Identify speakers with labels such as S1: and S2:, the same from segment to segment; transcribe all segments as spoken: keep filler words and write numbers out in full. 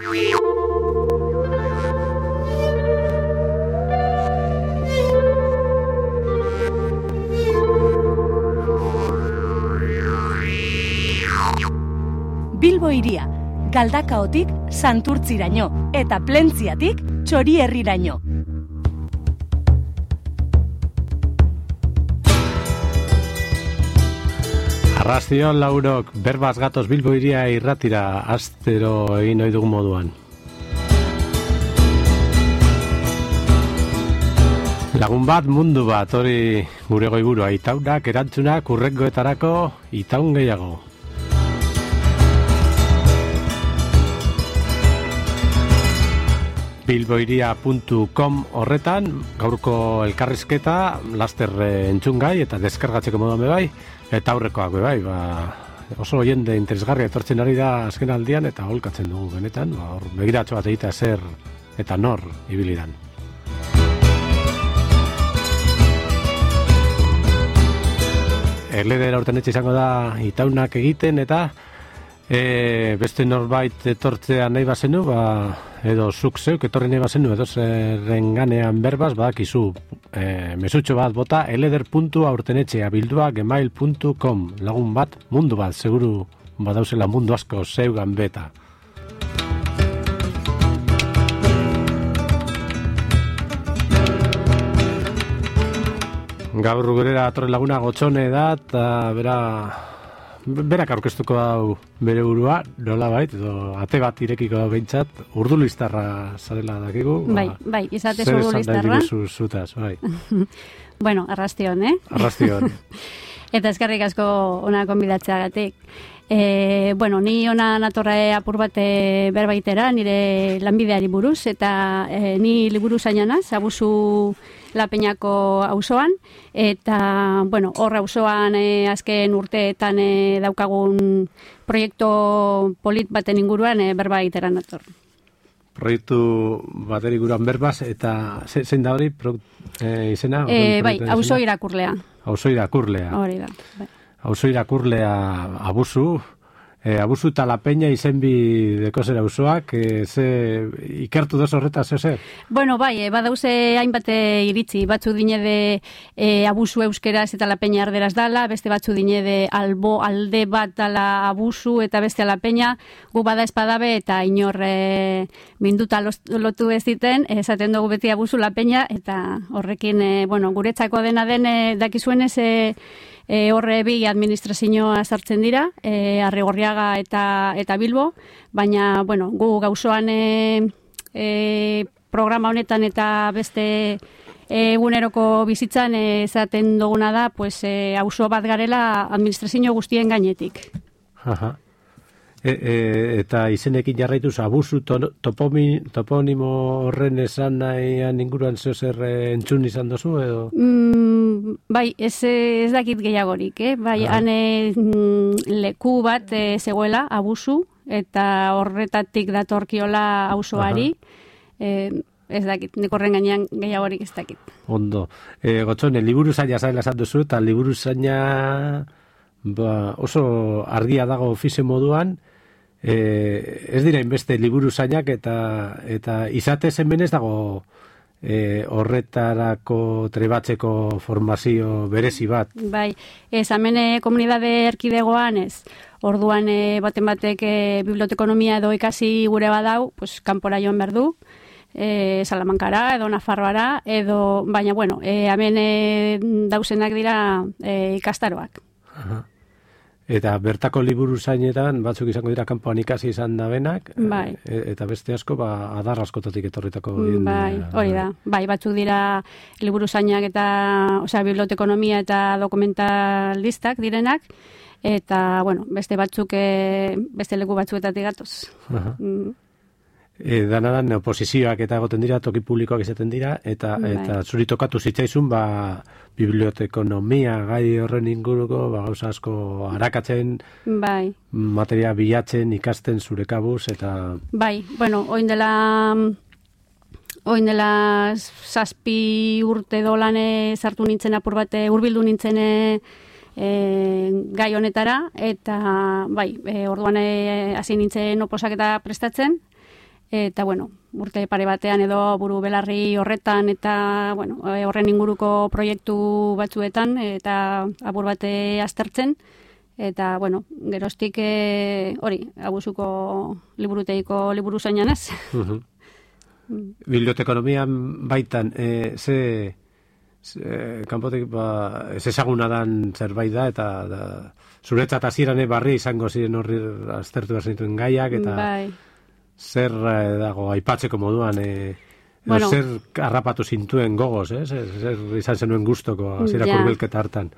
S1: Bilbo hiria, Galdakaotik Santurtziraino eta Plentziatik Txorierriraino.
S2: Arrastion laurok, berbaz gatoz Bilbo hiria irratira astero egin ohi dugun moduan. Lagun bat, mundu bat, hori gure goiburua, itaunak, erantzunak, urrengoetarako, itaun gehiago. bilboiria puntu com horretan, gaurko elkarrizketa, laster entzungai eta deskargatzeko moduan bebai, eta aurrekoak bebai, ba, oso jende interesgarria etortzen ari da azken aldian, eta holkatzen dugu benetan, ba, hor begiratxo bat egitea zer eta nor ibilidan. Erledera urten etxe izango da itaunak egiten, eta e, beste norbait etortzea nahi bazenu, ba, edo zuk zeuk etorri nahi bazenu, edo zerren ganean berbaz, badakizu e, mesutxo bat bota, eleder puntu aurtenetxea bildua gmail puntu com, lagun bat, mundu bat, seguru badauzela mundu asko zeugan beta. Gaur gurera atorre laguna Gotxone da, eta bera, berak aurkeztuko hau bere burua, nola bait, edo ate bat irekiko behintzat, urdulistarra zarela dakigu.
S3: Bai,
S2: ba,
S3: bai, izatez urdulistarra.
S2: Zer esan zutaz, bai.
S3: Bueno, arrastion, eh?
S2: Arrastion.
S3: Eta eskerrik asko ona konbidatzeagatik. E, bueno, ni ona natorra apur bat berbaitera, nire lanbideari buruz, eta e, ni liburu zainanaz, abusu Lapeñako auzoan, eta, bueno, hor auzoan e, azken urteetan e, daukagun proiektu polit baten inguruan e, berbaitera nator.
S2: Proiektu baten inguruan berbaz, eta zein da hori pro, e, izena?
S3: E, bai, auzo irakurlea.
S2: Auzo irakurlea.
S3: Hori da, bai.
S2: Auzo irakurlea abusu, e, abusu eta Lapeña izenbi deko zer auzoak, e, ze ikertu doz horretaz, ze zer?
S3: Bueno, bai, e, badauze hainbat iritzi, batzu dinede e, abusu euskeraz eta Lapeña erderaz dala, beste batzu dinede albo alde bat dala abusu eta beste Lapeña, gu bada espadabe eta inor e, minduta lotu ez diten, esaten dugu beti abusu Lapeña, eta horrekin, e, bueno, guretzako dena den e, dakizuenez, e, E, horre bi administrazioa sartzen dira, e, Arrigorriaga eta eta Bilbo, baina bueno, gu gauzoan e, e, programa honetan eta beste eguneroko bizitzan esaten duguna da, pues e, auzo bat garela administrazio guztien gainetik.
S2: Aha. E, e, eta izenekin jarraituz abusu to, topomi, toponimo horren esan nahian inguruan zeozer entzun izan dozu edo?
S3: Mm, bai, ez, ez dakit gehiagorik, eh? Bai, ah. hane leku bat e, zegoela abusu eta horretatik datorkiola auzoari, e, ez dakit, nik horren gainean gehiagorik ez dakit.
S2: Ondo. E, Gotxone, liburu zaina zaila esan duzu, eta liburu zaina ba, oso argia dago ofize moduan, e, ez dira inbeste liburu zainak eta, eta izate zen ez dago e, horretarako trebatzeko formazio berezi bat.
S3: Bai, ez, hemen komunidade erkidegoan ez, orduan e, baten batek e, bibliotekonomia edo ikasi gure badau, pues, kanpora joan behar du, e, Salamankara edo Nafarroara, edo, baina, bueno, e, hemen e, dauzenak dira e, ikastaroak.
S2: Aha. Eta bertako liburu zainetan, batzuk izango dira kanpoan ikasi izan da benak,
S3: bai.
S2: e, eta beste asko, ba, adar askotatik etorritako.
S3: Bai, hori da. Bai, batzuk dira liburu zainak eta, osea, bibliotekonomia eta dokumentalistak direnak, eta, bueno, beste batzuk, e, beste leku batzuetatik gatoz.
S2: Aha. Mm. E, danadan oposizioak eta egoten dira, toki publikoak izaten dira, eta, bai. eta zuri tokatu zitzaizun, ba, bibliotekonomia gai horren inguruko, ba, gauza asko arakatzen,
S3: bai.
S2: materia bilatzen, ikasten zure kabuz, eta...
S3: Bai, bueno, oin dela... Oin dela zazpi urte dolane sartu nintzen apur bate, hurbildu nintzen e, e, gai honetara, eta bai, e, orduan hasi e, nintzen oposaketa prestatzen, eta, bueno, urte pare batean edo buru belarri horretan eta, bueno, horren inguruko proiektu batzuetan eta apur bate aztertzen, eta, bueno, geroztik e, hori, abusuko liburuteiko liburu zainanaz.
S2: Uh-huh. Bibliotekonomian baitan, e, ze, ze kanpotik, ba, ez ezaguna dan zerbait da, eta da, zuretzat hasieran barri izango ziren horri aztertu behar zenituen gaiak, eta
S3: bai.
S2: zer eh, dago aipatzeko moduan, e,
S3: bueno,
S2: zer harrapatu zintuen gogoz, eh? zer, zer izan zenuen guztoko hasierako hurbilketa hartan.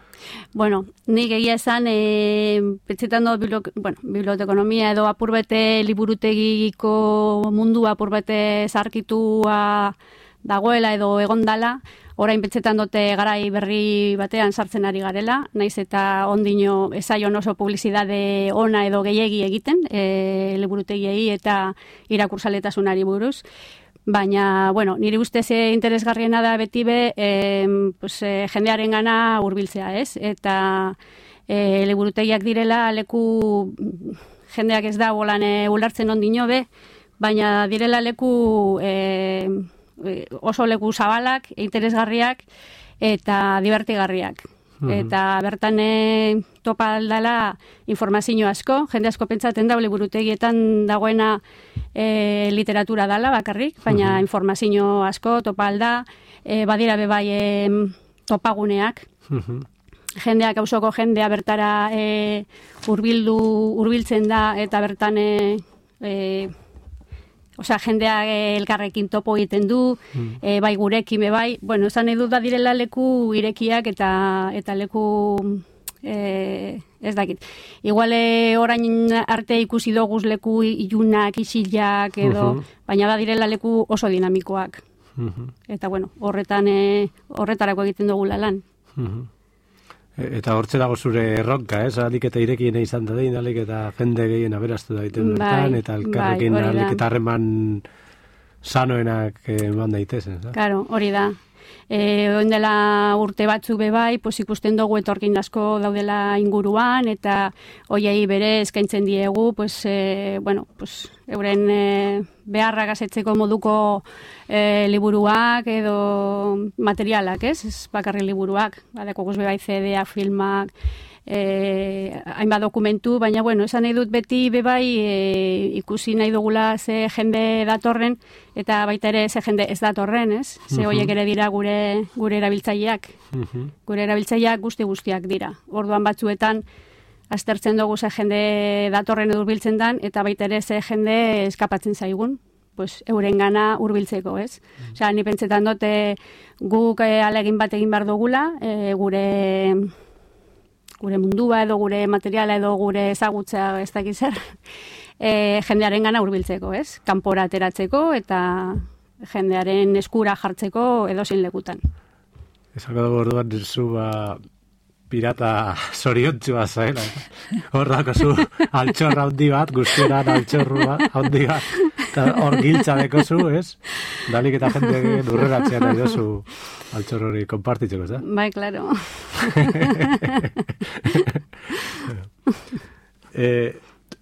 S3: Bueno, nik egia esan, e, petzetan do, biblo, bueno, bibliotekonomia edo apurbete liburutegiko mundu apurbete zarkitua dagoela edo egondala, orain petzetan dute garai berri batean sartzen ari garela, naiz eta ondino ezaion oso publizidade ona edo gehiegi egiten, e, liburutegiei eta irakursaletasunari buruz. Baina, bueno, nire ustez interesgarriena da beti be, e, pues, e, jendearen gana hurbiltzea, ez? Eta e, liburutegiak direla leku jendeak ez da bolan e, ulertzen ondino be, baina direla leku e, oso leku zabalak, interesgarriak eta divertigarriak. Eta bertan e, topa aldala informazio asko, jende asko pentsatzen da liburutegietan dagoena e, literatura dala bakarrik, baina uh-huh. informazio asko topa alda, e, badira bebai e, topaguneak, uh-huh. jendeak auzoko jendea bertara e, urbildu, urbiltzen da eta bertan e, e, Osea, jendeak elkarrekin topo egiten du, mm. e, bai gurekin, bai, bueno, esan edu da direla leku irekiak eta eta leku e, ez dakit. Igual orain arte ikusi doguz leku ilunak, isilak edo, uh-huh. baina da direla leku oso dinamikoak. Uh-huh. Eta bueno, horretan e, horretarako egiten dugula lan.
S2: Uh-huh. Eta hortze dago zure erronka, ez? Alik eta irekien izan da dein, alik eta jende gehien aberastu daiten bertan, bai, eta elkarrekin bai, alik eta harreman sanoenak eman daitezen.
S3: Claro, hori da. E, oindela urte batzu bebai, pues ikusten dugu etorkin asko daudela inguruan, eta hoiei bere eskaintzen diegu, pues, e, bueno, pues, euren e, beharra gazetzeko moduko e, liburuak edo materialak, ez? Ez bakarri liburuak, badeko guz bebai C D-ak, filmak, e, hainbat dokumentu, baina, bueno, esan nahi dut beti bebai e, ikusi nahi dugula ze jende datorren, eta baita ere ze jende ez datorren, ez? Ze horiek ere dira gure gure erabiltzaileak. Uh-huh. Gure erabiltzaileak guzti guztiak dira. Orduan batzuetan aztertzen dugu ze jende datorren edo hurbiltzen dan, eta baita ere ze jende eskapatzen zaigun, pues euren gana hurbiltzeko, ez? Uh-huh. Osea, ni pentsetan dute guk e, alegin bat egin behar dugula, e, gure gure mundua edo gure materiala edo gure ezagutza ez dakiz zer, e, jendearen gana hurbiltzeko, ez? Kanpora ateratzeko eta jendearen eskura jartzeko edozein lekutan.
S2: Ezako dugu orduan zu ba, pirata zoriontzua zaela. Hor dako zu altxorra handi bat, guztieran altxorrua handi bat, eta hor giltza deko zu, ez? Dalik eta jende durreratzean nahi dozu altxor hori konpartitzeko, ez da?
S3: Bai, klaro.
S2: eh,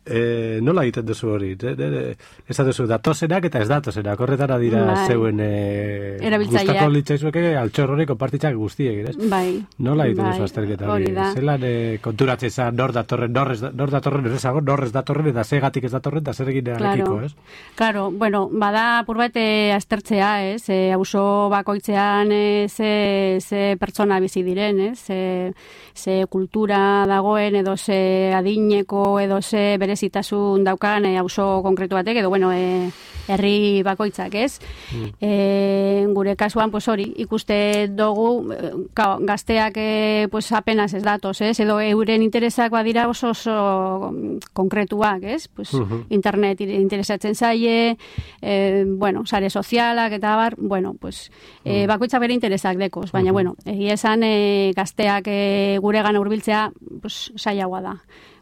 S2: eh, nola egiten duzu hori? Ez da duzu datozenak eta ez datozenak, horretara dira bai. Zeuen eh, gustako litzaizueke altxor hori konpartitzak guztiek, ez?
S3: Bai.
S2: Nola egiten
S3: bai.
S2: duzu azterketa hori? Zelan eh, konturatzen zan nor datorren, nor, ez, nor datorren erezago, nor ez datorren, eta zegatik ez datorren, eta zer egin arekiko, ez?
S3: Claro, bueno, bada apurbait aztertzea, ez? E, auzo bakoitzean e, ze, ze pertsona bizi diren, ez? Ze, ze kultura dagoen, edo ze adineko, edo ze berezitasun daukan e, auzo konkretu batek, edo bueno, e, herri bakoitzak, ez? Mm. E, gure kasuan, pues hori, ikuste dugu, ka, gazteak e, pues apenas ez datoz, ez? Edo euren interesak badira oso oso konkretuak, ez? Pues, uh-huh. Internet interesatzen zaie, e, bueno, sare sozialak eta bar, bueno, pues, e, bakoitzak bere interesak dekoz, baina, uh-huh. bueno, egia esan e, gazteak e, gure gana hurbiltzea, pues, saiagoa da.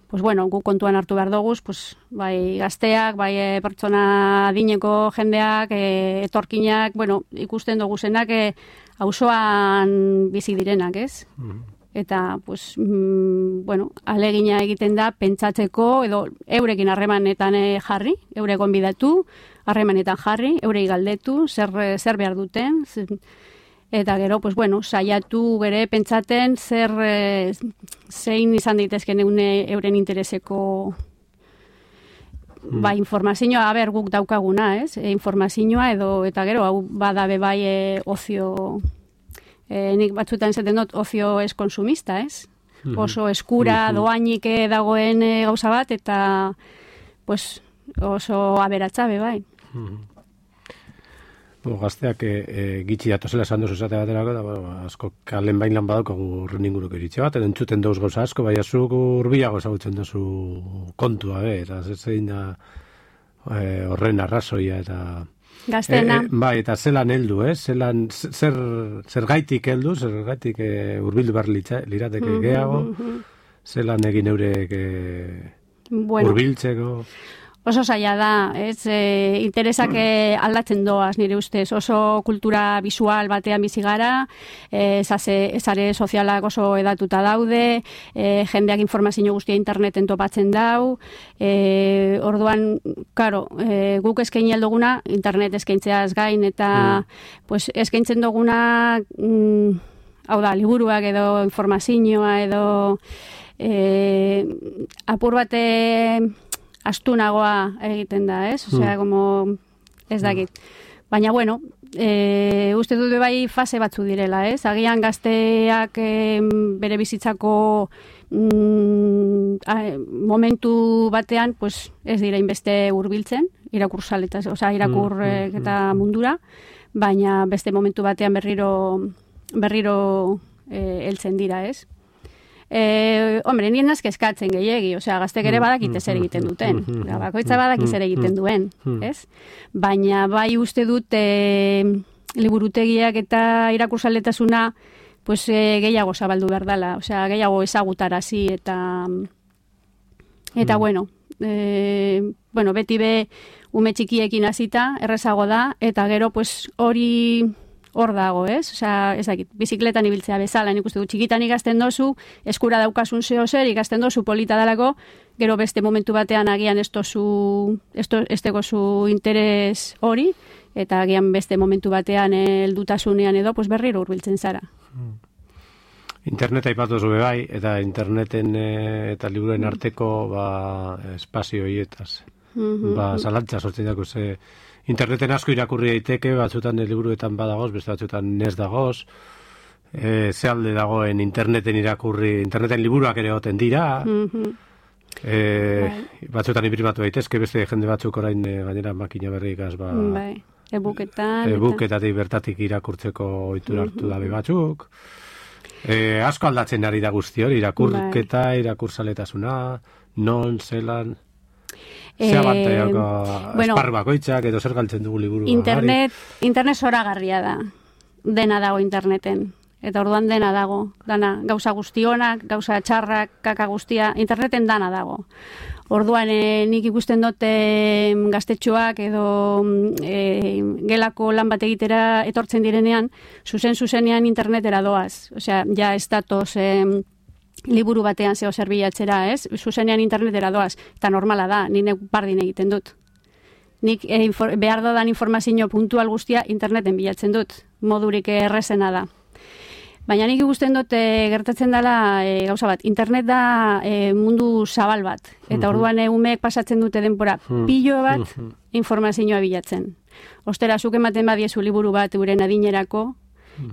S3: Pues bueno, gu kontuan hartu behar doguz, pues, bai gazteak, bai e, pertsona adineko jendeak, e, etorkinak, bueno, ikusten dugu zenak, e, auzoan bizi direnak, ez? eta pues, mm, bueno, alegina egiten da pentsatzeko edo eurekin harremanetan jarri, eure gonbidatu, harremanetan jarri, eurei galdetu, zer, zer behar duten, eta gero, pues, bueno, saiatu bere pentsaten zer zein izan daitezken euren intereseko mm. ba, informazioa, aber guk daukaguna, ez? E, informazioa edo, eta gero, hau badabe bai e, ozio, e, nik batzutan zaten dut, ozio ez konsumista, ez? Mm-hmm. Oso eskura, mm-hmm. doainik dagoen e, gauza bat, eta pues, oso aberatzabe bai.
S2: Mm-hmm. Bo, gazteak e, e, gitxi datozela esan duzu zate baterako, eta bueno, asko kalen bain lan badaukagu urren inguruk eritxe bat, entzuten dauz gauza asko, bai azuk urbiago ezagutzen duzu kontua, be, eta zein da e, horren arrazoia, eta
S3: gaztena.
S2: E, e, bai, eta zelan heldu, eh? Zelan, zer, zer gaitik heldu, zer gaitik e, urbildu behar lirateke mm-hmm, gehiago, mm-hmm. zelan egin eurek e, bueno. Urbiltzeko...
S3: Oso zaila da, ez, e, interesak e, aldatzen doaz nire ustez, oso kultura visual batean bizi gara, e, zare sozialak oso edatuta daude, e, jendeak informazio guztia interneten topatzen dau, e, orduan, karo, e, guk eskaini alduguna, internet eskaintzeaz gain, eta mm. pues, eskaintzen duguna, mm, hau da, liburuak edo informazioa edo e, apur bate... astunagoa egiten da, ez? Osea, mm. como ez dakit. Baina, bueno, e, uste dut bai fase batzu direla, ez? Agian gazteak e, bere bizitzako mm, a, momentu batean, pues, ez dira inbeste hurbiltzen, irakursaletaz, osea, irakur mm, eta mundura, baina beste momentu batean berriro berriro e, heltzen dira, ez? Eh, hombre, nien nazke eskatzen gehiegi, osea, gaztek ere badakite zer egiten duten, bakoitza badaki zer egiten duen, ez? Baina bai uste dut e, liburutegiak eta irakursaletasuna pues, e, gehiago zabaldu behar dela, osea, gehiago ezagutarazi eta eta mm. bueno, e, bueno, beti be ume txikiekin hasita errezago da, eta gero pues hori hor dago, ez? Osea, ez dakit, bizikletan ibiltzea bezala, nik uste du txikitan ikasten dozu, eskura daukasun zeo zer, ikasten dozu polita dalako, gero beste momentu batean agian ez dozu, ez dego zu interes hori, eta agian beste momentu batean heldutasunean edo, pues berriro hurbiltzen zara.
S2: Interneta aipatu zube bai, eta interneten e, eta liburuen arteko ba, espazio hietaz. Mm-hmm. Ba, zalantza sortzen dago ze... Interneten asko irakurri daiteke, batzutan liburuetan badagoz, beste batzutan ez dagoz. E, ze alde dagoen interneten irakurri, interneten liburuak ere goten dira. Mm-hmm. e, bai. Batzutan imprimatu daitezke, beste jende batzuk orain e, gainera makina berrikaz. Ba,
S3: bai. E-booketan.
S2: E-booketatik bertatik irakurtzeko ohitura hartu mm-hmm. dabe batzuk. E, asko aldatzen ari da guzti hori, irakurketa, bai. Irakursaletasuna, non, zelan... Zea bantaiako eh, bueno, esparru bakoitzak edo zer galtzen dugu liburu.
S3: Internet, internet zoragarria da. Dena dago interneten. Eta orduan dena dago. Dana, gauza guztionak, gauza txarrak, kaka guztia, interneten dana dago. Orduan e, nik ikusten dute gaztetxoak edo e, gelako lan bat egitera etortzen direnean, zuzen zuzenean internetera doaz. Osea, ja ez datoz... E, liburu batean zeo zerbilatzera, ez? Zuzenean internetera doaz, eta normala da, nire bardin egiten dut. Nik eh, infor, behar dodan informazio puntual guztia interneten bilatzen dut, modurik errezena da. Baina nik ikusten dut e, gertatzen dela e, gauza bat, internet da e, mundu zabal bat, eta uh-huh. orduan umeek pasatzen dute denbora uh-huh. pilo bat uh-huh. informazioa bilatzen. Ostera, zuk ematen badiezu liburu bat uren adinerako,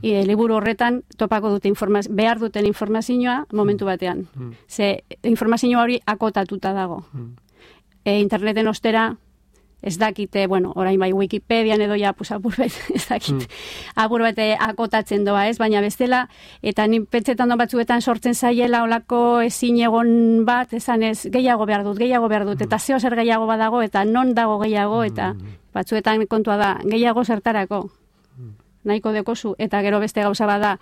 S3: E, liburu horretan topako dute informaz, behar duten informazioa momentu batean. Mm. Ze informazioa hori akotatuta dago. Mm. E, interneten ostera ez dakite, bueno, orain bai Wikipedian edo ja pues, apur bet, ez dakit, mm. apur bete akotatzen doa, ez? Baina bestela, eta ni pentsetan do batzuetan sortzen zaiela olako ezin egon bat, esan ez, gehiago behar dut, gehiago behar dut, mm. eta zeo zer gehiago badago, eta non dago gehiago, eta batzuetan kontua da, gehiago zertarako. Nahiko dekozu, eta gero beste gauza bada,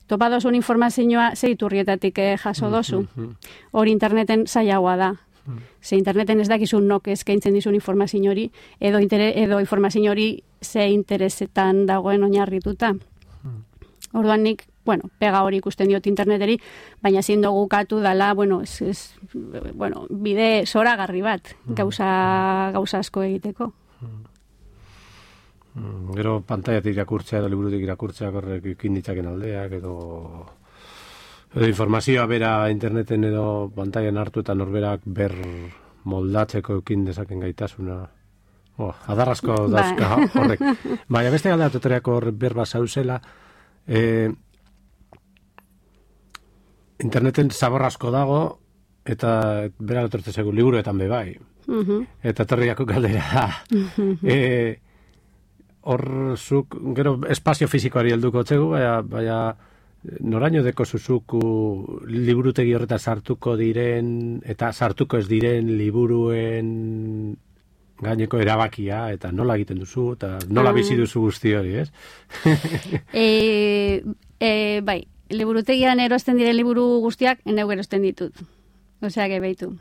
S3: topa dozun informazioa zeiturrietatik eh, jaso dozu. Hori interneten zailagoa da. Ze interneten ez dakizun nok eskaintzen dizun informazio hori, edo, inter- edo informazio hori ze interesetan dagoen oinarrituta. Orduan nik, bueno, pega hori ikusten diot interneteri, baina ezin dugu katu dala, bueno, es, es, bueno, bide zoragarri bat, gauza, gauza asko egiteko.
S2: Mm, gero pantaiatik irakurtzea edo liburutik irakurtzea horrek ikin ditzaken aldeak edo edo informazioa bera interneten edo pantaian hartu eta norberak ber moldatzeko ekin dezaken gaitasuna. Oh, adarrasko dauzka horrek. Baina beste galdatutoriako horrek berba zauzela, eh, interneten zabor asko dago eta bera lotortze zegu liburuetan bebai. Uh-huh. Eta torriako galdera da. Uh-huh. Eh, hor zuk, gero espazio fizikoari helduko txegu, baina, baina noraino deko zuzuku liburutegi horretan sartuko diren, eta sartuko ez diren liburuen gaineko erabakia, eta nola egiten duzu, eta nola bizi duzu guzti hori, ez?
S3: e, e, bai, liburutegian erosten diren liburu guztiak, eneu erosten ditut. Osea, que beitu.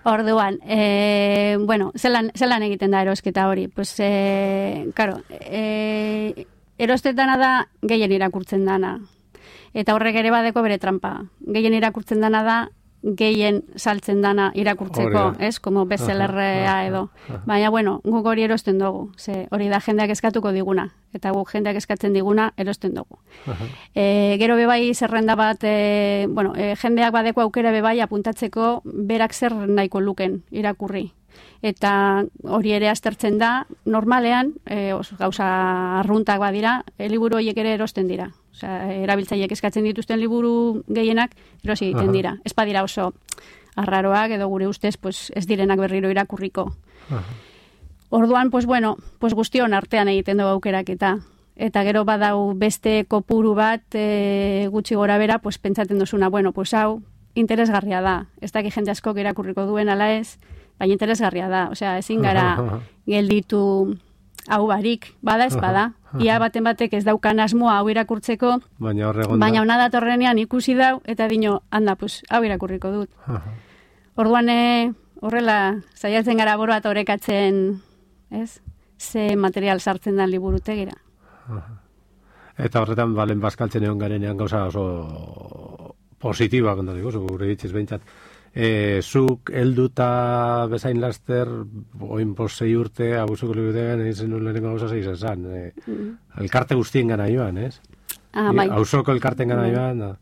S3: Orduan, eh, bueno, zelan, zelan egiten da erosketa hori? Pues, eh, claro, eh, erostetana da gehien irakurtzen dana. Eta horrek ere badeko bere trampa. Gehien irakurtzen dana da gehien saltzen dana irakurtzeko, ez? Como bestsellerra edo. Baina, bueno, guk hori erosten dugu. Ze hori da jendeak eskatuko diguna. Eta guk jendeak eskatzen diguna erosten dugu. E, gero bebai zerrenda bat, e, bueno, e, jendeak badeko aukera bebai apuntatzeko berak zer nahiko luken irakurri. Eta hori ere aztertzen da, normalean, e, os, gauza arruntak badira, e, liburu horiek ere erosten dira. Osea, erabiltzaileek eskatzen dituzten liburu gehienak erosi egiten dira. Ez badira oso arraroak edo gure ustez pues, ez direnak berriro irakurriko. Aha. Orduan, pues bueno, pues guztion artean egiten dugu aukerak eta eta gero badau beste kopuru bat e, gutxi gora bera, pues pentsaten duzuna, bueno, pues hau interesgarria da. Ez daki jende askok irakurriko duen ala ez, baina interesgarria da. Osea, ezin gara gelditu hau barik, bada ez bada. Ia baten batek ez daukan asmoa hau irakurtzeko, baina baina hona datorrenean ikusi dau, eta dino, handa, pues, hau irakurriko dut. Orduan, e, horrela, saiatzen gara boro bat orekatzen, ez? Ze material sartzen dan liburutegira.
S2: Eta horretan, balen bazkaltzen egon garenean gauza oso positiba, konta digo, gure ditziz behintzat. E, zuk helduta bezain laster, oin posei urte, abusuko liburutegan, egin nuen lehenengo gauza zeiz esan. E, mm. Elkarte guztien gana joan, ez? Ah, bai. Hausoko elkarten gana joan, da.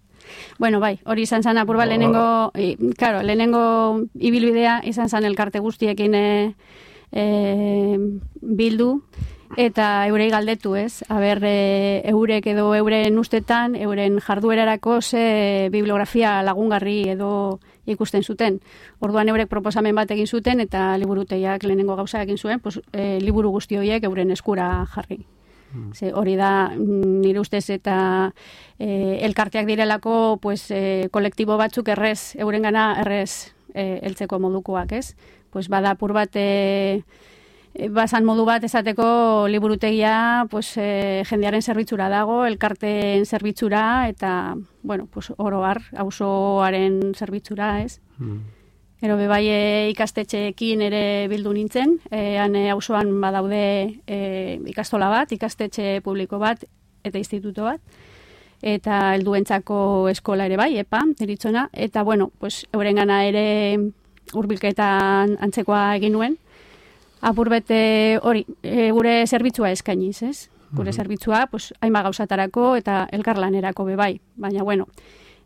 S3: Bueno, bai, hori izan zan apurba lehenengo, e, claro, lehenengo ibilbidea izan zan elkarte guztiekin e, e, bildu, eta eurei galdetu, ez? Aber, e, eurek edo euren ustetan, euren jarduerarako ze bibliografia lagungarri edo ikusten zuten. Orduan eurek proposamen bat egin zuten eta liburutegiak lehenengo gauza egin zuen, pues, e, liburu guzti horiek euren eskura jarri. Mm. Ze, hori da nire ustez eta e, elkarteak direlako pues, e, kolektibo batzuk errez, eurengana errez e, heltzeko modukoak, ez? Pues, bada apur bat e, bazan modu bat esateko liburutegia pues, e, jendearen zerbitzura dago, elkarteen zerbitzura eta, bueno, pues, oro har, auzoaren zerbitzura, ez? Mm. Ero bebai e, ikastetxeekin ere bildu nintzen, e, han e, auzoan badaude e, ikastola bat, ikastetxe publiko bat eta instituto bat, eta helduentzako eskola ere bai, epa, deritzona, eta, bueno, pues, eurengana ere hurbilketan antzekoa egin nuen, apur bete hori, e, gure zerbitzua eskainiz, ez? Gure mm-hmm. zerbitzua, pues, hainba gauzatarako eta elkarlanerako bebai. Baina, bueno,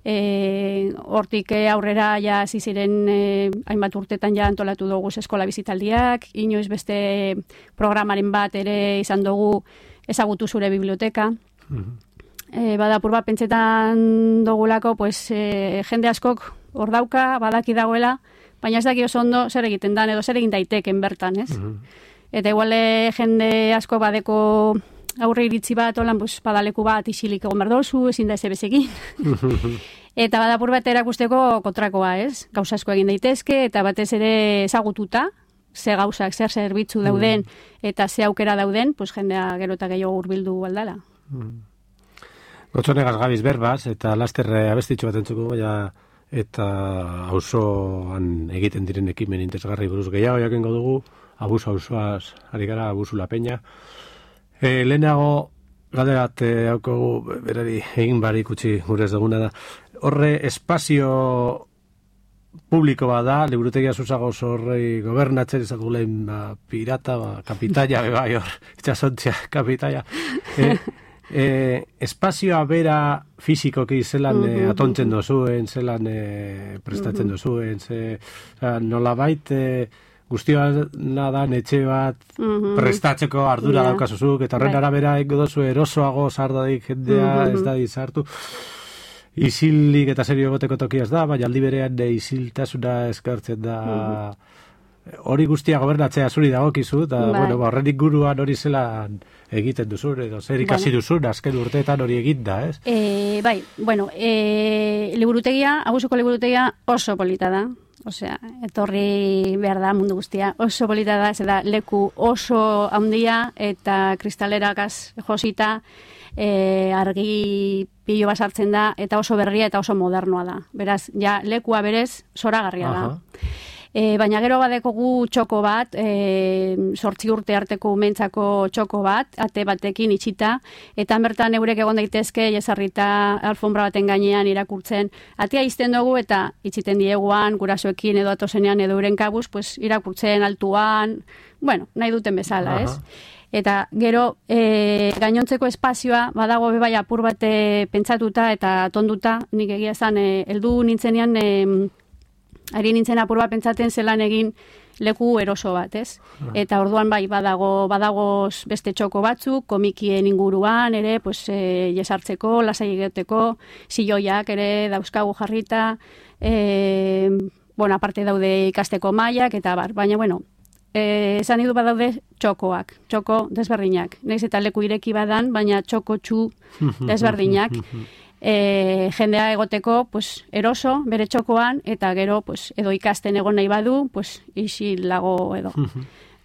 S3: e, hortik aurrera ja ziren e, hainbat urtetan ja antolatu dugu eskola bizitaldiak, inoiz beste programaren bat ere izan dugu ezagutu zure biblioteka. Mm-hmm. E, bada apur bat pentsetan dugulako, pues, e, jende askok hor dauka, badaki dagoela, baina ez daki oso ondo zer egiten dan, edo zer egin daiteken bertan, ez? Uh-huh. Eta iguale jende asko badeko aurre iritzi bat, olan, pues, badaleku bat isilik egon berdozu, ezin da ez ebezekin. Eta badapur bat erakusteko kontrakoa, ez? Gauza asko egin daitezke, eta batez ere ezagututa, ze gauzak, zer zerbitzu dauden, eta ze aukera dauden, pues, jendea gero eta gehiago hurbildu aldala.
S2: Uh-huh. Gotzonegaz gabiz berbaz, eta laster abestitxo bat entzuko, ja, eta auzoan egiten diren ekimen interesgarri buruz gehiago jakingo dugu, abuso auzoaz ari gara, abusu la peña. E, lehenago Galdera bat hauko berari egin barik utzi gure ez duguna da. Horre espazio publiko bat da, liburutegia zuzagoz horrei gobernatzen izatu lehen ba, pirata, ba, kapitaia, bai hor, itxasontzia kapitaia. E, e, espazioa bera fizikoki zelan e, atontzen dozuen, zelan e, prestatzen dozuen, ze, nolabait e, guztioa nadan etxe bat prestatzeko ardura yeah. daukazuzuk, eta horren arabera eko dozu erosoago sardadik jendea ez da dizartu. Isilik eta serio egoteko tokia ez da, baina aldi berean isiltasuna eskartzen da hori guztia gobernatzea zuri dagokizu, eta bueno, horren inguruan hori zelan egiten duzun, edo zer ikasi bueno. duzun, azken urteetan hori egin da, ez?
S3: E, bai, bueno, e, liburutegia, Abusuko liburutegia oso polita da. Osea, etorri behar da mundu guztia. Oso polita da, ez da, leku oso handia eta kristalerakaz josita, e, argi pilo basartzen da, eta oso berria eta oso modernoa da. Beraz, ja, lekua berez, zoragarria da. E, baina gero badekogu txoko bat, e, sortzi urte arteko umentzako txoko bat, ate batekin itxita, eta bertan eurek egon daitezke, jesarrita alfombra baten gainean irakurtzen. Atea izten dugu eta itxiten dieguan, gurasoekin edo atosenean edo euren kabuz, pues, irakurtzen altuan, bueno, nahi duten bezala, ez? Eta gero e, gainontzeko espazioa badago bebai apur bate pentsatuta eta tonduta, nik egia zan, e, heldu nintzenean, e, ari nintzen apur bat pentsaten zelan egin leku eroso bat, ez? Eta orduan bai badago badagoz beste txoko batzuk, komikien inguruan ere, pues, e, jesartzeko, lasai egoteko, silloiak ere dauzkagu jarrita, e, bueno, aparte daude ikasteko mailak, eta bar, baina, bueno, e, esan idu badaude txokoak, txoko desberdinak. Naiz eta leku ireki badan, baina txoko txu desberdinak. E, jendea egoteko pues, eroso, bere txokoan, eta gero pues, edo ikasten egon nahi badu, pues, isilago edo.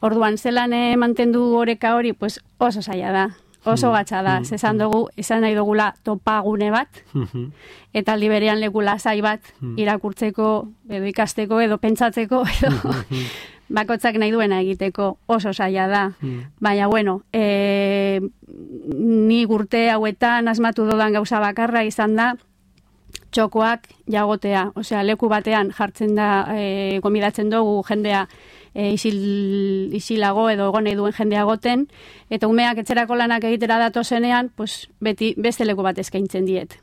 S3: Orduan, zelan eh, mantendu oreka hori, pues, oso zaila da, oso gatsa da. Zezan dugu, izan nahi dugula topagune bat, eta aldi berean leku lasai bat irakurtzeko, edo ikasteko, edo pentsatzeko, edo bakotzak nahi duena egiteko oso zaila da. Baina, bueno, e, ni urte hauetan asmatu dodan gauza bakarra izan da, txokoak jagotea. Osea, leku batean jartzen da, e, gomidatzen dugu jendea e, isil, isilago edo egon nahi duen jendea goten, eta umeak etxerako lanak egitera datozenean, pues, beti beste leku bat eskaintzen diet.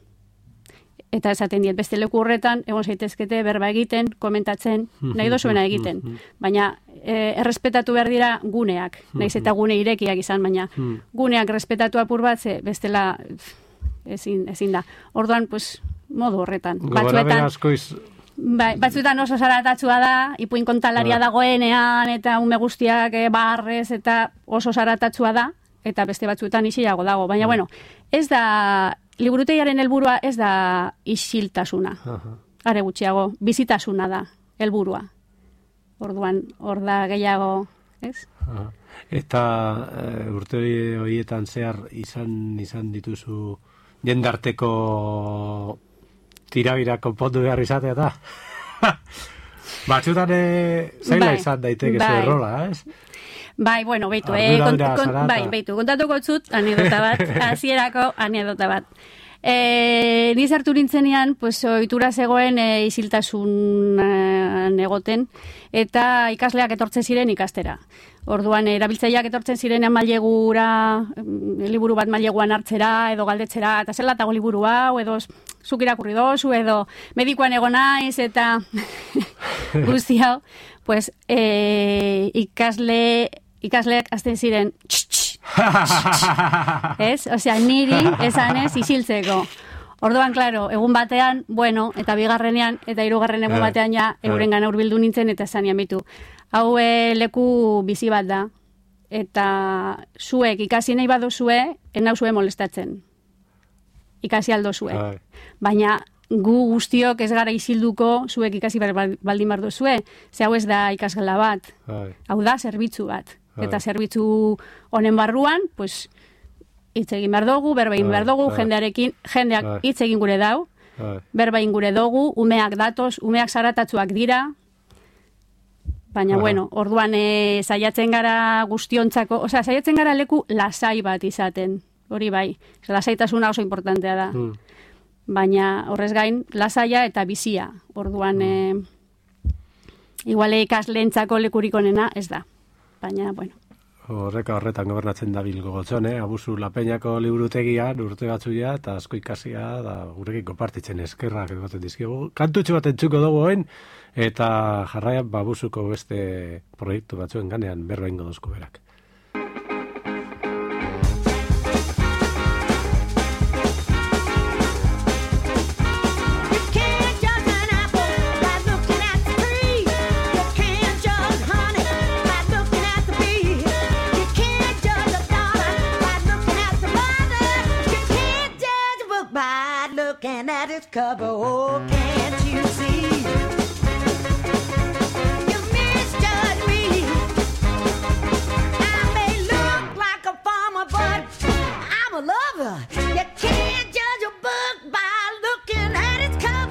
S3: Eta esaten diet, beste leku horretan, egon zaitezkete berba egiten, komentatzen, nahi dozuena egiten. Baina e, errespetatu behar dira guneak, nahiz eta gune irekiak izan, baina guneak respetatu apur bat, ze bestela ezin, ezin da. Orduan, pues, modu horretan. Batzuetan, bai, batzuetan oso zaratatzua da, ipuin kontalaria dagoenean, eta ume guztiak e, barrez, eta oso zaratatzua da, eta beste batzuetan isilago dago. Baina, bueno, ez da... Liburutegiaren helburua ez da isiltasuna. Are gutxiago, bizitasuna da helburua. Orduan, hor da gehiago, ez? Aha.
S2: Eta e, urte horietan zehar izan izan dituzu jendarteko tirabira konpondu behar izatea da. Batzutan zaila izan daiteke bai. Zerrola, ez?
S3: Bai, bueno, beitu, eh, kont, kont, bai, beitu, kontatuko zut, anedota bat, hasierako anedota bat. E, ni sartu nintzenean, pues, ohitura zegoen e, isiltasun e, egoten, eta ikasleak etortzen ziren ikastera. Orduan, erabiltzaileak etortzen ziren mailegura, liburu bat maileguan hartzera, edo galdetzera, eta zer latago liburu hau, edo zuk irakurri dozu, edo medikuan egon naiz, eta guzti hau, pues, e, ikasle... ikasleak azten ziren ez? Osea, niri esanez isiltzeko. Orduan, klaro, egun batean, bueno, eta bigarrenean, eta hirugarren egun batean ja, euren gana hurbildu nintzen, eta zanian bitu. Hau leku bizi bat da, eta zuek ikasi nahi baduzue, enau zue molestatzen. Ikasi aldo zue. Baina, gu guztiok ez gara isilduko, zuek ikasi baldin bardu zue, ze hau ez da ikasgela bat. Hau da, zerbitzu bat. Eta zerbitzu honen barruan, pues, hitz egin behar dugu, berba egin behar dugu, jendearekin, jendeak hitz egin gure dau, berba egin gure dugu, umeak datoz, umeak zaratatzuak dira, baina, bueno, orduan e, saiatzen gara guztiontzako, osea, saiatzen gara leku lasai bat izaten. hori bai. Lasaitasuna oso importantea da. Mm. Baina horrez gain, lasaia eta bizia. Orduan, mm. e, iguale ikasleentzako lekurik onena ez da. Baina, bueno.
S2: Horreka horretan gobernatzen da bilgo gotzone, Abusu Lapeñako liburutegian urte batzuia eta asko ikasia da gurekin konpartitzen eskerrak egoten dizkigu. Kantutxo bat entzuko dugu oin, eta jarraian Abusuko beste proiektu batzuen ganean berba ingo dozko berak.
S4: Cover, oh, can't you see? You misjudge me. I may look like a farmer, but I'm a lover. You can't judge a book by looking at its cover.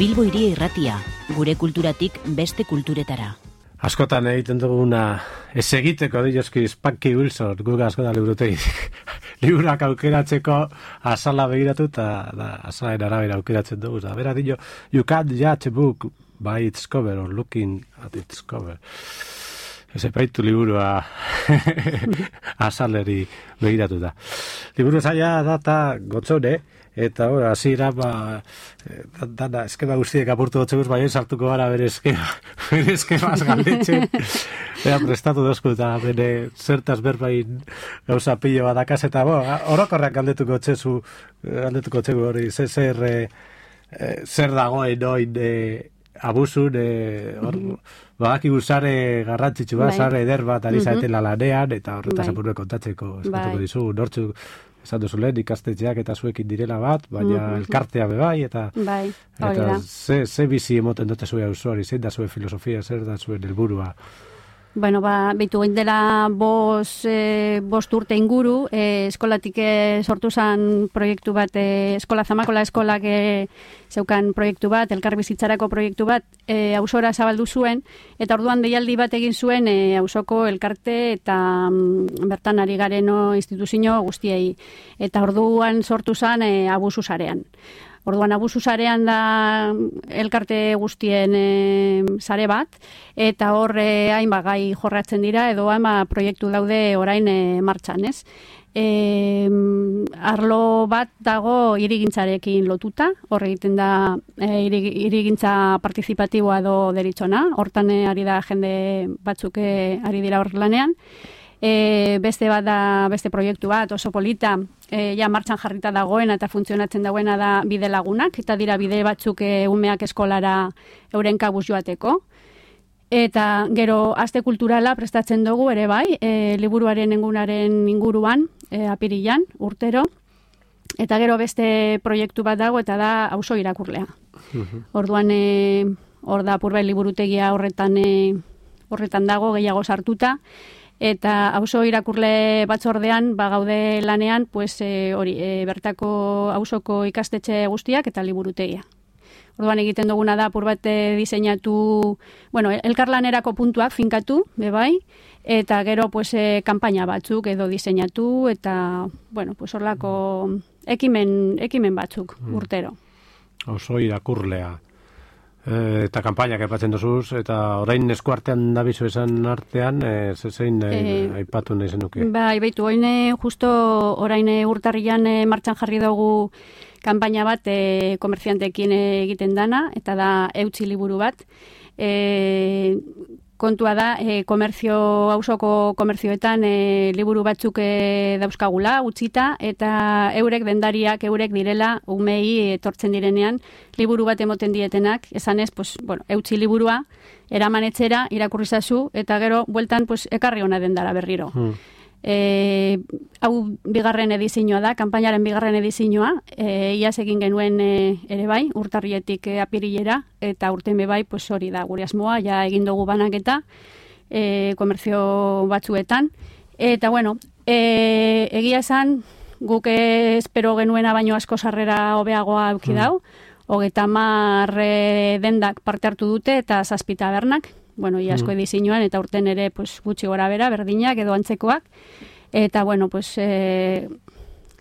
S5: Bilbo Hiria Irratia, gure kulturatik beste kulturetara.
S2: Askotan egiten duguna ez egiteko dioski Spanky Wilson, guga asko da liburutegi. Liburak aukeratzeko azala begiratu eta azalaen arabera aukeratzen dugu. Bera dio, you can't judge a book by its cover or looking at its cover. Ez epaitu liburua azaleri begiratu da. Liburu zaila data gotzone, eta hori, hasiera ba, dana, eskema guztiek apurtu gotzeguz, baina sartuko gara bere eskema, bere eskemaz galdetzen. Ea prestatu dozku eta bere zertaz berbain gauza pilo badakaz, eta bo, orokorrak galdetuko txezu, galdetuko txegu hori, zer, zer, eh, zer dagoen oin eh, abusun, eh, hor, badakigu zare garrantzitsu bat, zare eder bat ari zaetela lanean, eta horretaz apurue kontatzeko eskatuko dizu, nortzu, esan duzu lehen ikastetxeak eta zuekin direla bat, baina mm-hmm. elkartea bebai, eta,
S3: bai,
S2: eta ze, ze bizi emoten dute zuen usuari, zein da zuen filosofia, zer da zuen helburua.
S3: Bueno, ba, behitu gain dela bos, e, bost urte inguru, e, eskolatik e, sortu zen proiektu bat, e, Eskola Zamakola eskolak e, zeukan proiektu bat, elkarbizitzarako proiektu bat, e, ausora zabaldu zuen, eta orduan deialdi bat egin zuen e, ausoko elkarte eta mm, bertan ari gareno instituzio guztiei. Eta orduan sortu zen e, abusu sarean. Orduan, abusu sarean da elkarte guztien e, sare bat, eta hor e, hainbat gai jorratzen dira, edo hainbat proiektu daude orain e, martxan, ez? E, arlo bat dago hirigintzarekin lotuta, hor egiten da e, hirigintza partizipatiboa edo deritzona, hortan e, ari da jende batzuk e, ari dira hor lanean. E, beste bat da, beste proiektu bat oso polita, e, ja martxan jarrita dagoena eta funtzionatzen dagoena da bide lagunak, eta dira bide batzuk e, umeak eskolara euren kabuz joateko. Eta gero aste kulturala prestatzen dugu ere bai, e, liburuaren engunaren inguruan, e, apirilan, urtero. Eta gero beste proiektu bat dago eta da auzo irakurlea. Uh-huh. Orduan e, hor da Apurbait liburutegia horretan e, horretan dago gehiago sartuta. Eta auzo irakurle batzordean ba gaude lanean, pues e, hori, e, bertako auzoko ikastetxe guztiak eta liburutegia. Orduan egiten duguna da apur bat diseinatu, bueno, elkarlanerako puntuak finkatu, bebai, eta gero pues e, kanpaina batzuk edo diseinatu eta bueno, pues horlako ekimen ekimen batzuk urtero.
S2: Auzo irakurlea. E, eta kanpainak aipatzen duzuz, eta orain eskuartean dabizu esan artean, e, zein e, aipatu nahi zenuke? Bai,
S3: baitu, oine justo orain urtarrian e, martxan jarri dugu kanpaina bat e, komerziantekin egiten dana, eta da eutzi liburu bat. E, kontua da, e, komerzio, auzoko komerzioetan e, liburu batzuk e, dauzkagula, utzita, eta eurek dendariak, eurek direla, umei etortzen direnean, liburu bat emoten dietenak, esanez, pues, bueno, eutzi liburua, eraman etxera, irakurrizazu, eta gero, bueltan, pues, ekarri hona dendara berriro. Hmm. E, hau bigarren edizioa da, kanpainaren bigarren edizioa, e, iaz egin genuen e, ere bai, urtarrietik e, apirilera, eta urten be bai, pues hori da, gure asmoa, ja egin dugu banaketa, e, komerzio batzuetan, eta bueno, e, egia esan, guk espero genuena baino asko sarrera hobeagoa auki dau, mm. hogeita hamar e, dendak parte hartu dute, eta zazpita bernak, bueno, iasko mm. edizioan, eta urten ere pues, gutxi gora bera, berdinak edo antzekoak. Eta, bueno, pues, e,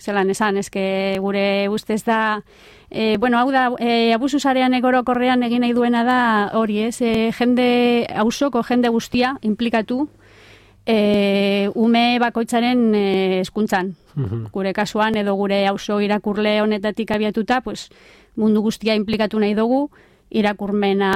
S3: zelan esan, eske gure ustez da, e, bueno, hau da, e, abusu sarean egorokorrean egin nahi duena da hori, ez, e, jende, auzoko jende guztia implikatu, e, ume bakoitzaren e, hezkuntzan. Mm-hmm. Gure kasuan, edo gure auzo irakurle honetatik abiatuta, pues, mundu guztia implikatu nahi dugu, irakurmena...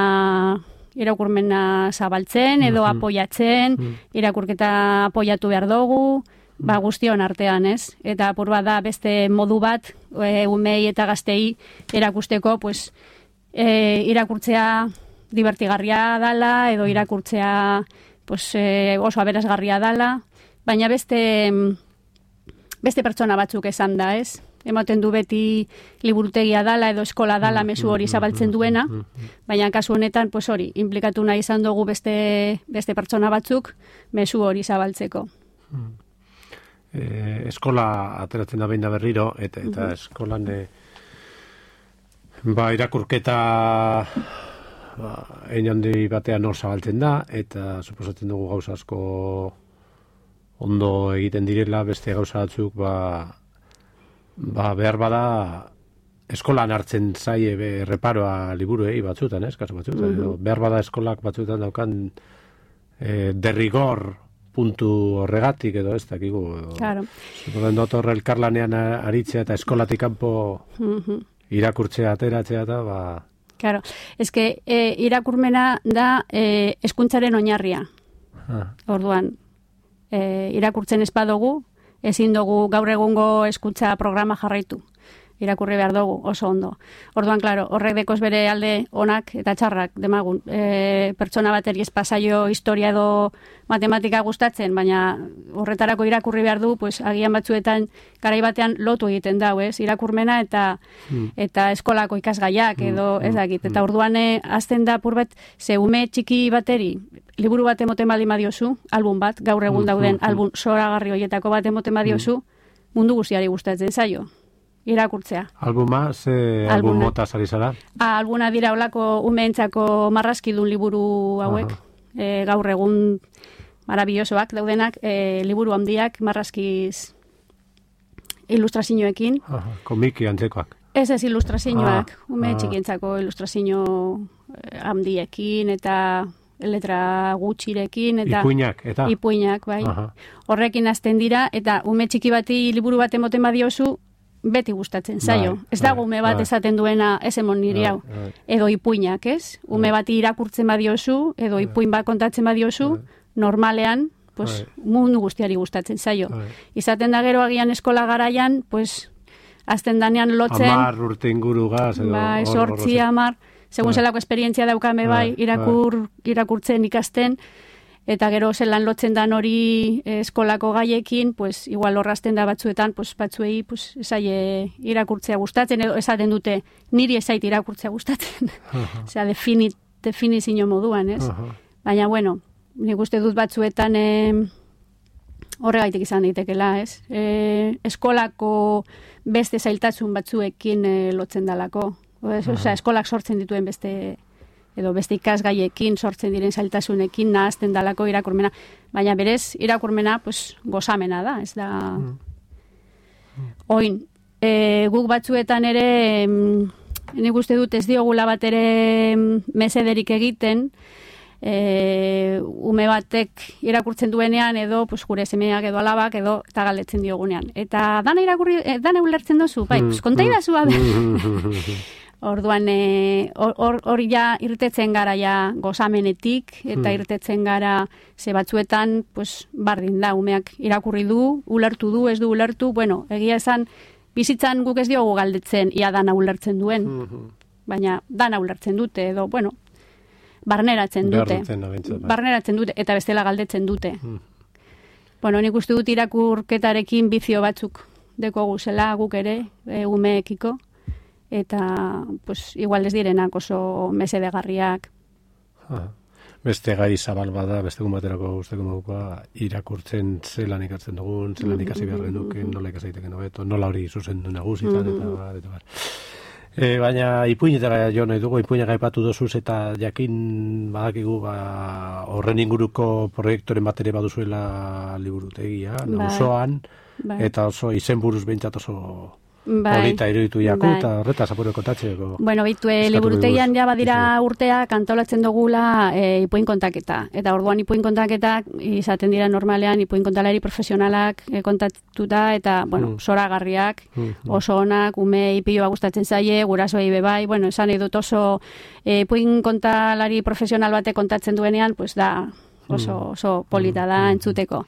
S3: irakurmena zabaltzen edo mm-hmm. apoiatzen, mm-hmm. irakurketa apoiatu behar dugu, ba guztion artean, ez? Eta apur bat da beste modu bat, e, umei eta gaztei erakusteko, pues, e, irakurtzea divertigarria dala, edo irakurtzea pues, e, oso aberasgarria dala, baina beste, beste pertsona batzuk esan da, ez? Ematen du beti liburutegia dala edo eskola dala mezu hori zabaltzen duena, baina kasu honetan, pues hori, implikatu nahi izan dugu beste, beste pertsona batzuk mezu hori zabaltzeko.
S2: Eh, eskola ateratzen da behin da berriro, eta, eta uh-huh. eskolan e, ba, irakurketa ba, ein handi batean hor zabaltzen da, eta suposatzen dugu gauza asko ondo egiten direla, beste gauza batzuk, ba, Ba, behar bada eskolan hartzen zaie be, reparoa liburuei batzutan, ez, kasu batzutan. Mm-hmm. Behar bada eskolak batzutan daukan e, derrigor puntu horregatik edo ez dakigu.
S3: Claro.
S2: Zupoten dut horre elkarlanean aritzea eta eskolatik kanpo mm-hmm. irakurtzea ateratzea eta ba...
S3: Claro, ez que e, irakurmena da e, hezkuntzaren oinarria. Ah. Orduan, e, irakurtzen ez badugu, ezin dugu gaur egungo hezkuntza programa jarraitu. Irakurri behar dugu, oso ondo. Orduan, klaro, horrek dekoz bere alde onak eta txarrak demagun. E, pertsona bateri ez pasaio historia edo matematika gustatzen, baina horretarako irakurri behar du, pues, agian batzuetan garai batean lotu egiten dau, ez? Irakurmena eta mm. eta eskolako ikasgaiak edo mm. ez dakit. Eta orduan e, azten da purbet, ze ume txiki bateri, liburu bat emoten baldin badiozu, album bat, gaur egun dauden album zoragarri horietako bat emoten badiozu, mundu guztiari gustatzen zaio. Irakurtzea.
S2: Albuma, ze album mota zari zara?
S3: Ah, albuna dira olako umeentzako marraskidun liburu hauek, e, gaur egun marabillosoak daudenak, e, liburu handiak marraskiz ilustrazioekin.
S2: Aha, komiki antzekoak.
S3: Ez ez ilustrazioak,
S2: Ah,
S3: ume
S2: ah.
S3: txikientzako ilustrazio eh, handiekin eta letra gutxirekin eta
S2: Ipuinak, eta?
S3: ipuinak, bai.
S2: Aha.
S3: Horrekin hasten dira eta ume txiki bati liburu bat emoten badiozu beti gustatzen zaio.
S2: Bai,
S3: Ez dago
S2: bai,
S3: ume bat
S2: bai.
S3: esaten duena ez emon niri
S2: Bai,
S3: hau.
S2: bai.
S3: Edo ipuinak, ez? Ume bati irakurtzen badiozu edo ipuin bat kontatzen badiozu, normalean pues,
S2: Bai.
S3: mundu guztiari gustatzen zaio.
S2: Bai.
S3: Izaten da gero agian eskola garaian, pues, azten danean lotzen,
S2: Amar urte inguru gaz, edo...
S3: bai,
S2: hor-
S3: sortzi,
S2: hor-
S3: amar, segun
S2: Bai.
S3: zelako esperientzia daukame bai,
S2: Bai,
S3: irakur, irakurtzen ikasten, eta gero zelan lotzen dan hori eh, eskolako gaiekin, pues, igual horrazten da batzuetan, pues, batzuei pues, esaie irakurtzea gustatzen, edo esaten dute, niri esait irakurtzea gustatzen. Osea, definit, definizio moduan, ez?
S2: Aha.
S3: Baina, bueno, nik uste dut batzuetan eh, horregaitik izan daitekela, ez? E, eskolako beste zailtasun batzuekin e, lotzen dalako. Osea, eskolak sortzen dituen beste edo beste ikasgaiekin sortzen diren zailtasunekin nahazten dalako irakurmena. Baina berez, irakurmena pues, gozamena da, ez da... Oin, e, guk batzuetan ere, em, nik uste dut ez diogula bat ere em, mesederik egiten, e, ume batek irakurtzen duenean edo pues, gure semeak edo alabak edo eta galdetzen diogunean. Eta dana irakurri, eh, dana ulertzen dozu, bai, pues, kontaidazu abe. Orduan, e, hor, hori ja irtetzen gara ja gozamenetik, eta irtetzen gara ze batzuetan, pues, bardin da, umeak irakurri du, ulertu du, ez du ulertu, bueno, egia esan, bizitzan guk ez diogu galdetzen, ia dana ulertzen duen, baina dana ulertzen dute, edo, bueno, barneratzen dute.
S2: Behar duten, abentzu, bai.
S3: Barneratzen dute, eta bestela galdetzen dute. Bueno, nik uste dut irakurketarekin bizio batzuk deko guzela guk ere, e, umeekiko, eta pues, igual ez direnak oso mesedegarriak.
S2: Aha. Beste gai zabal bada, beste egun baterako guzteko modukoa, irakurtzen zelan ikatzen dugun, zelan ikasi behar genuken, nola ikasaiteken hobeto, nola hori zuzendu nagusitan, eta bar, eta bar. E, baina ipuinetara jo nahi dugu, ipuinak aipatu dozuz eta jakin badakigu ba, horren inguruko proiektoren bat ere baduzuela liburutegia,
S3: Bai.
S2: nauzoan,
S3: Bai.
S2: eta oso izenburuz behintzat oso
S3: Bai.
S2: polita iruditu jaku,
S3: Bai.
S2: eta horretaz apuro kontatzeko.
S3: Bueno, bitu, e,
S2: eskatu
S3: liburutegian
S2: diguz.
S3: ja badira
S2: Dizu.
S3: urteak antolatzen dugula e, ipuin kontaketa. Eta orduan ipuin kontaketak izaten dira normalean ipuin kontalari profesionalak e, kontatuta eta, bueno,
S2: Mm.
S3: zoragarriak,
S2: Mm,
S3: oso onak, ume ipioa gustatzen zaie, gurasoei be bai, bueno, esan nahi dut oso e, ipuin kontalari profesional bate kontatzen duenean, pues da oso, oso polita da entzuteko.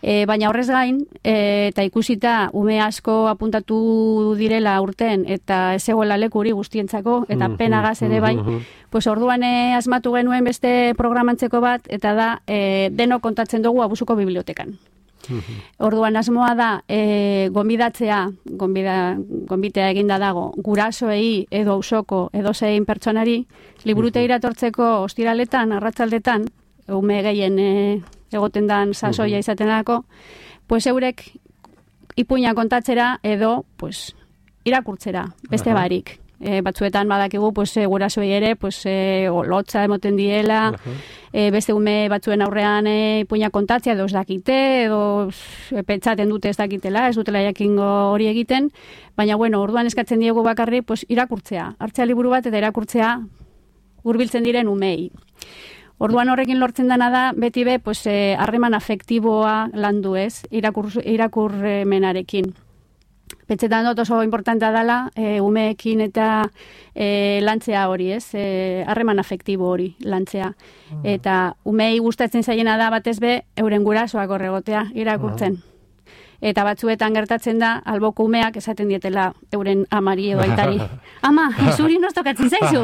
S3: E, baina horrez gain, e, eta ikusita ume asko apuntatu direla urten, eta ez egoela lekuri guztientzako, eta
S2: Mhm,
S3: penagaz ere bai,
S2: mhm.
S3: pues orduan e, asmatu genuen beste programantzeko bat, eta da e, denok kontatzen dugu abusuko bibliotekan. Orduan asmoa da e, gonbidatzea, gonbida, gonbitea eginda dago, gurasoei edo auzoko edo zein pertsonari, liburutegira etortzeko ostiraletan, arratzaldetan, ume gehien e, egoten dan sasoia izaten dako, pues eurek ipuina kontatzera edo pues, irakurtzera, beste
S2: Aha.
S3: barik. E, batzuetan badakigu pues, e, gurasoei ere pues, e, lotza emoten diela, e, beste ume batzuen aurrean e, ipuina kontatzea edo ez dakite, edo e, pentsaten dute ez dakitela, ez dutela jakingo hori egiten, baina bueno, orduan eskatzen diegu bakarri pues, irakurtzea, hartzea liburu bat eta irakurtzea hurbiltzen diren umei. Orduan horrekin lortzen dana da, beti be, pues, eh, harreman afektiboa landu ez, irakur, irakurmenarekin. Pentsetan dut oso importantea dela, e, umeekin eta e, lantzea hori ez, e, harreman afektibo hori lantzea. Eta umei gustatzen zaiena da batez be, euren gurasoak horregotea irakurtzen. Eta batzuetan gertatzen da, alboko umeak esaten dietela euren amari edo aitari. Ama, zuri nos tokatzen zaizu.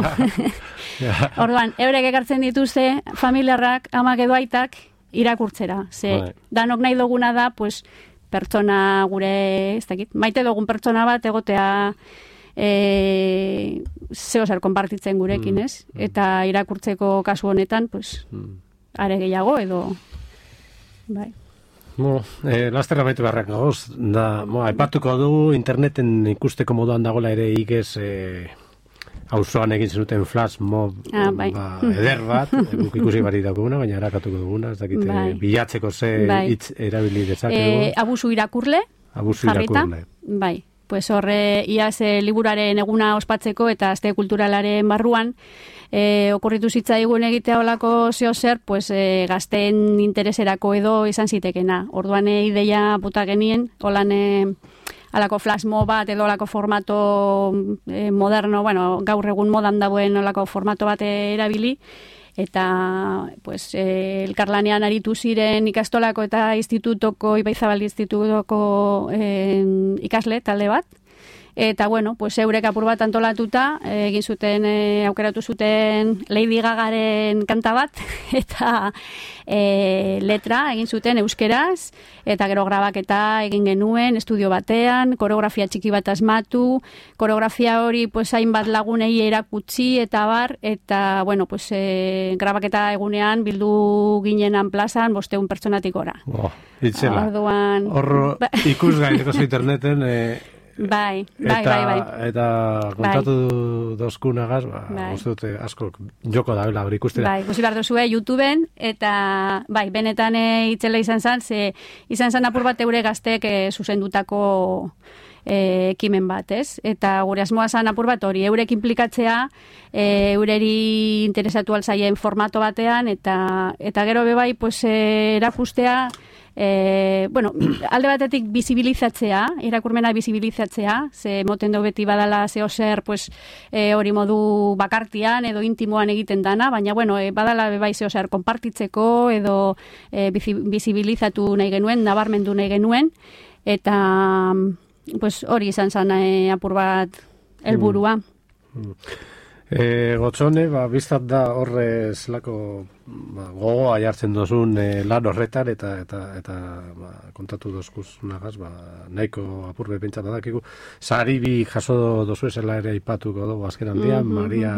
S3: Orduan, eurek ekartzen dituzte familiarrak, amak edo aitak irakurtzera. Ze,
S2: Bai.
S3: danok nahi duguna da, pues, pertsona gure, ez dakit, maite dugun pertsona bat egotea e, zeo zer konpartitzen gurekin, ez? Eta irakurtzeko kasu honetan, pues, are gehiago edo, bai.
S2: Mo, eh, laster amaitu beharrak gagoz, da, mo, aipatuko du interneten ikusteko moduan dagoela ere igez eh, auzoan egin zenuten flash mob
S3: Ah, bai.
S2: ba, eder bat, guk ikusi bari daukaguna, baina erakatuko duguna, ez dakite
S3: Bai.
S2: bilatzeko ze
S3: Bai.
S2: hitz erabili dezakegu.
S3: E, abusu irakurle,
S2: Abusu
S3: jarrita,
S2: irakurle.
S3: bai. pues horre iaz e, liburaren eguna ospatzeko eta aste kulturalaren barruan, e, okurritu zitzaigun egitea olako zeo zer, pues, e, gazteen intereserako edo izan zitekena. Orduan e, ideia puta genien, holan e, alako flash-mob bat edo olako formato e, moderno, bueno, gaur egun modan dagoen olako formato bat erabili, eta pues, eh, elkarlanean aritu ziren ikastolako eta institutoko, Ibaizabal institutoko eh, ikasle talde bat. Eta, bueno, pues, eurek apur bat antolatuta, eh, egin zuten, eh, aukeratu zuten Lady Gagaren kanta bat, eta eh, letra egin zuten euskeraz, eta gero grabaketa egin genuen estudio batean, koreografia txiki bat asmatu, koreografia hori pues, hainbat lagunei erakutsi, eta bar, eta, bueno, pues, eh, grabaketa egunean bildu ginenan plazan, bosteun pertsonatik gora.
S2: Oh, itxela.
S3: Orduan...
S2: Hor ikusgaineko interneten... Eh...
S3: Bai, bai,
S2: eta,
S3: bai, bai.
S2: Eta kontatu bai. dozkunagaz, ba, bai. uste dute asko joko da, hori ikustera.
S3: Bai, ikusi behar duzue YouTubeen, eta bai, benetan e, itzela izan zen, ze izan zen apur bat eure gaztek e, zuzendutako e, ekimen bat, ez? Eta gure asmoa zen apur bat hori, eurek implikatzea, e, eureri interesatu alzaien formato batean, eta eta gero bebai, pues, e, erakustea, E, bueno, alde batetik bizibilizatzea, irakurmena bizibilizatzea, ze moten dau beti badala zeo zer, pues, e, hori modu bakartian edo intimoan egiten dana, baina bueno, e, badala bebai zeo zer konpartitzeko edo e, bizibilizatu nahi genuen, nabarmendu nahi genuen, eta pues, hori izan zan e, apur bat helburua.
S2: Mm. Mm. E, Gotzone, ba, biztat da horre zelako ba, gogoa jartzen dozun e, lan horretan eta eta eta ba, kontatu dozkuz nagaz, ba, nahiko apurbe pentsat badakigu. Sari bi jaso dozu esela ere aipatuko dugu azken handian, mm-hmm. Maria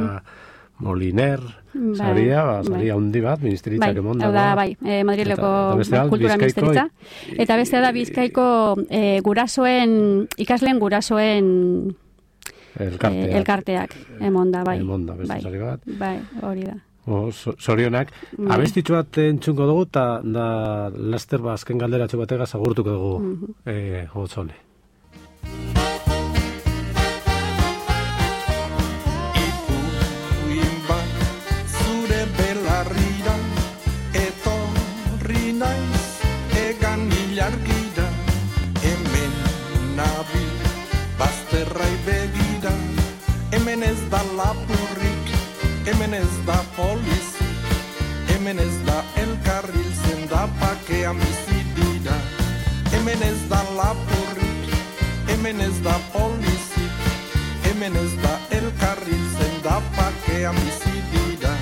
S2: Moliner, bai, saria, ba, saria handi bat, ministeritzak
S3: bai,
S2: emon
S3: dago. Bai, bai, e, Madrileko kultura ministeritza. Eta beste da Bizkaiko e, gurasoen, ikasleen gurasoen
S2: elkarteak,
S3: eh, elkarteak emonda, bai.
S2: Emonda, beste
S3: bai,
S2: sari bat.
S3: Bai, hori da.
S2: O, sorionak. Bai. Abestitxu bat entzungo dugu, eta da laster ba azken galderatxo batega agurtuko dugu, mm-hmm. eh, Gotzone.
S6: Ipuin bat zure belarrira, etorri naiz egan ilargira, hemen nabi bazterrai begira, hemen ez da lapurrik, hemen ez da polizik, hemen ez da elkarril zendapakean bizi dira, hemen ez da lapurrik, hemen ez da polizik, hemen ez da elkarril zendapakean bizi dira.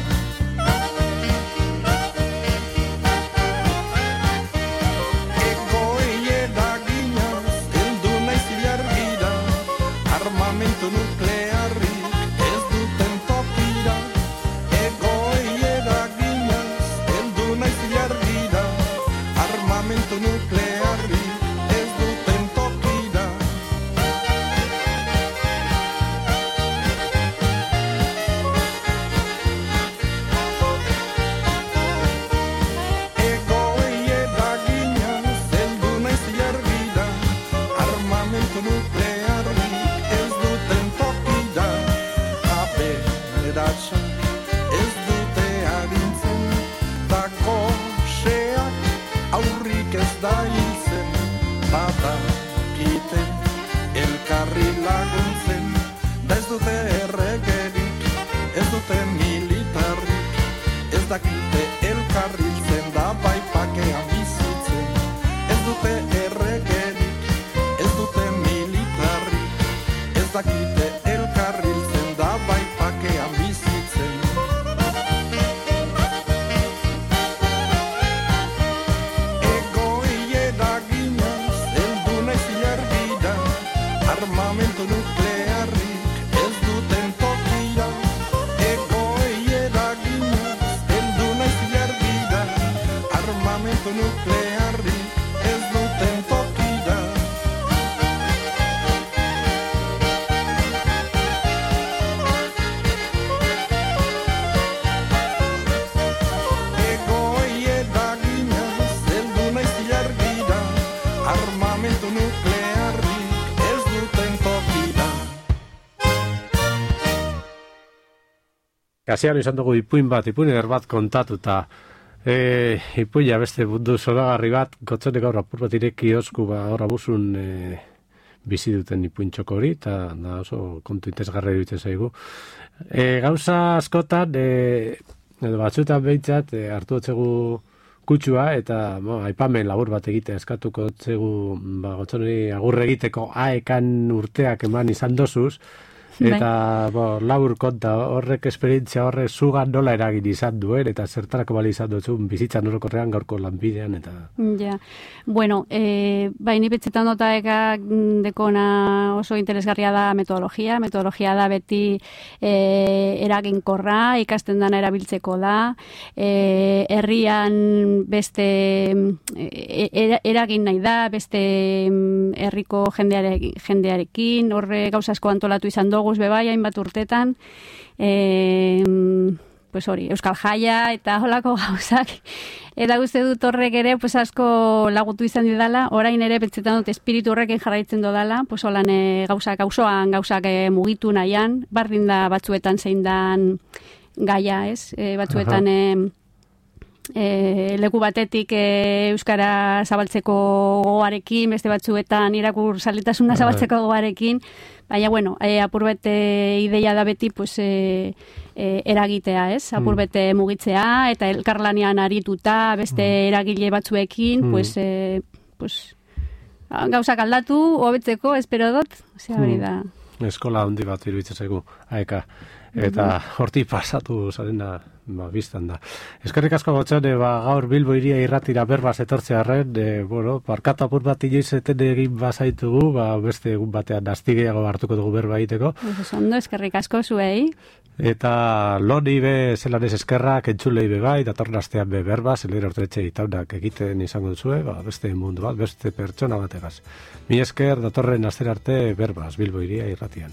S6: Armamento nuklearrik ez duten tokira, egoei eraginaz heldu naiz ilargira. Armamento nuklearrik ez duten tokira. Egoei eraginaz heldu naiz ilargira. Armamento nuklearrik ez dute agintzen, dako xeak aurrik ez da hiltzen, badakite elkarri laguntzen, da ez dute erregerik, ez dute militarrik, ez dakite elkarri hiltzen, da bai pakean bizitzen, ez dute erregerik, ez dute militarrik, ez dakite elkarri hiltzen, da bai pakean bizitzen. Egoei eraginaz heldu naiz ilargira, armamento nuklearrik ez duten tokira. Egoei eraginaz heldu naiz ilargira, armamento nuklearrik ez duten tokira. Armamento nuklearrik ez duten
S2: Gazian izan dugu ipuin bat, ipuin eder bat kontatuta. E, ipuina beste mundu zoragarri bat, gotzenek aurra apur bat ireki osku, ba, aurra buzun e, bizi duten ipuin txoko hori, eta da oso kontu interesgarri duten zaigu. E, gauza askotan, e, edo batzuetan behintzat, e, hartu otzegu kutsua, eta bo, aipamen labur bat egitea eskatuko otzegu, ba, gotzoneri agurre egiteko aekan urteak eman izan dozuz, eta bo, labur konta horrek esperientzia horrek zugan nola eragin izan duen, eta zertarako bali izan duzun bizitzan orokorrean gaurko lanbidean, eta...
S3: Ja, bueno, e, bai, nipetzetan dota eka dekona oso interesgarria da metodologia, metodologia da beti e, eraginkorra, ikasten dana erabiltzeko da, e, herrian beste e, eragin nahi da, beste herriko jendearekin, jendearekin, horre gauza asko antolatu izan dugu, bebai, hainbat urtetan, e, pues hori, Euskal Jaia eta holako gauzak. Eta guzti dut horrek ere, pues asko lagutu izan didala, orain ere pentsetan dut espiritu horrekin jarraitzen dodala, pues holan e, gauzak, auzoan gauzak e, mugitu nahian, bardin da batzuetan zein dan gaia, ez? E, batzuetan... E, E, leku batetik e, euskara zabaltzeko gogoarekin, beste batzuetan irakur zaletasuna zabaltzeko gogoarekin, baina, bueno, e, apur bete ideia da beti, pues, e, e, eragitea, ez? Apur bete mugitzea, eta elkarlanean arituta, beste eragile batzuekin, mm. pues, e, pues, gauzak aldatu, hobetzeko, espero dut, osea, hori da.
S2: Eskola handi bat iruditzen zaigu, aeka. Eta horti pasatu zarena, ba, biztan da. Eskerrik asko Gotzone, ba, gaur Bilbo Hiria irratira berbaz etortzearren, e, bueno, parkatu apur bat inoizeten egin bazaitugu, ba, beste egun batean astigeago hartuko dugu berba egiteko.
S3: Eso ondo, eskerrik asko zuei.
S2: Eta loni be zelan ez eskerrak, entzulei be bai, datorren astean be berba, zelera ortetxe itaunak egiten izango duzue, ba, beste mundu bat, beste pertsona bategaz. Mi esker, datorren astera arte berbaz, Bilbo Hiria irratian.